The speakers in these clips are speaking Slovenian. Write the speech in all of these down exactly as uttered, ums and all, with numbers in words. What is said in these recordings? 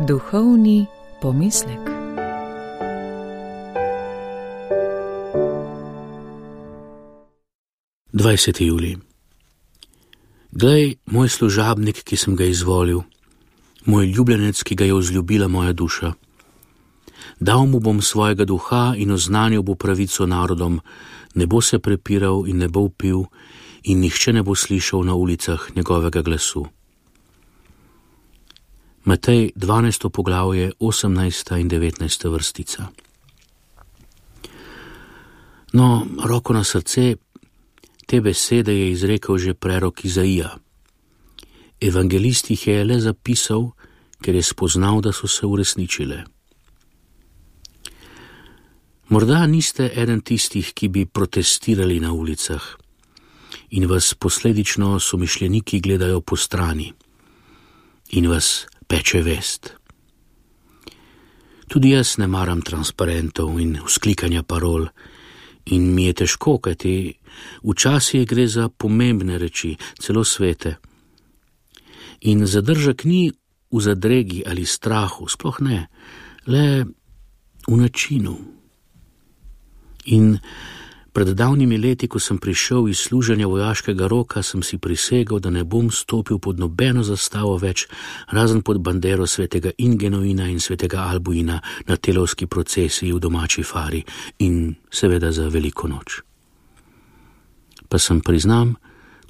Duhovni pomislek. dvajseti julij. Glej, moj služabnik, ki sem ga izvolil, moj ljubljenec, ki ga je vzljubila moja duša. Dal mu bom svojega duha in oznanil bo pravico narodom, ne bo se prepiral in ne bo vpil in nihče ne bo slišal na ulicah njegovega glasu. Matej dvanajsto poglavje, osemnajsta in devetnajsta vrstica. No, roko na srce, te besede je izrekel že prerok Izaija. Evangelist jih je le zapisal, ker je spoznal, da so se uresničile. Morda niste eden tistih, ki bi protestirali na ulicah in vas posledično somišljeniki gledajo po strani in vas peče vest. Tudi jaz ne maram transparentov in vzklikanja parol in mi je težko, kajti včasih gre za pomembne reči, celo svete. In zadržek ni v zadregi ali strahu, sploh ne, le v načinu. In pred davnimi leti, ko sem prišel iz služenja vojaškega roka, sem si prisegel, da ne bom stopil pod nobeno zastavo več, razen pod bandero svetega Ingenuina in svetega Albuina na telovski procesiji v domači fari in seveda za veliko noč. Pa sem, priznam,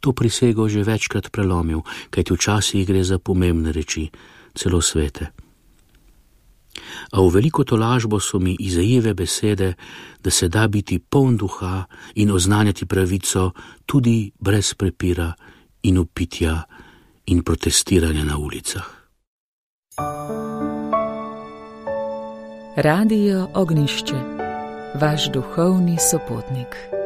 to prisego že večkrat prelomil, kajti včasih gre za pomembne reči, celo svete. A v veliko tolažbo so mi Izajeve besede, da se da biti poln duha in oznanjati pravico tudi brez prepira in vpitja in protestiranja na ulicah. Radio Ognjišče, vaš duhovni sopotnik.